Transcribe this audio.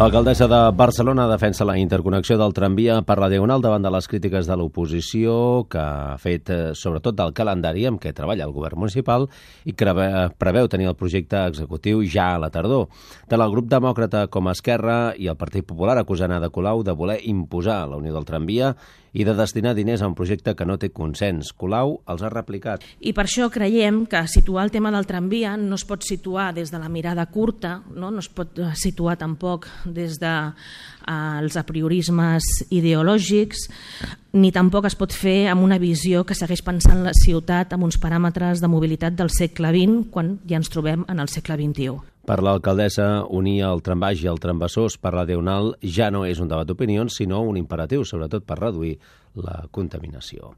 L'alcaldessa de Barcelona defensa la interconnexió del tramvia per la Diagonal davant de les crítiques de l'oposició que ha fet sobretot del calendari amb què treballa el govern municipal i que preveu tenir el projecte executiu ja a la tardor. Tant el grup demòcrata com Esquerra i el Partit Popular acusen Ada Colau de voler imposar la unió del tramvia i de destinar diners a un projecte que no té consens. Colau els ha replicat. I per això creiem que situar el tema del tramvia no es pot situar des de la mirada curta, no es pot situar tampoc des dels apriorismes ideològics, ni tampoc es pot fer amb una visió que segueix pensant la ciutat amb uns paràmetres de mobilitat del segle XX quan ja ens trobem en el segle XXI. Per l'alcaldessa, unir el trambaix i el trambassós per la Diagonal ja no és un debat d'opinions, sinó un imperatiu, sobretot per reduir la contaminació.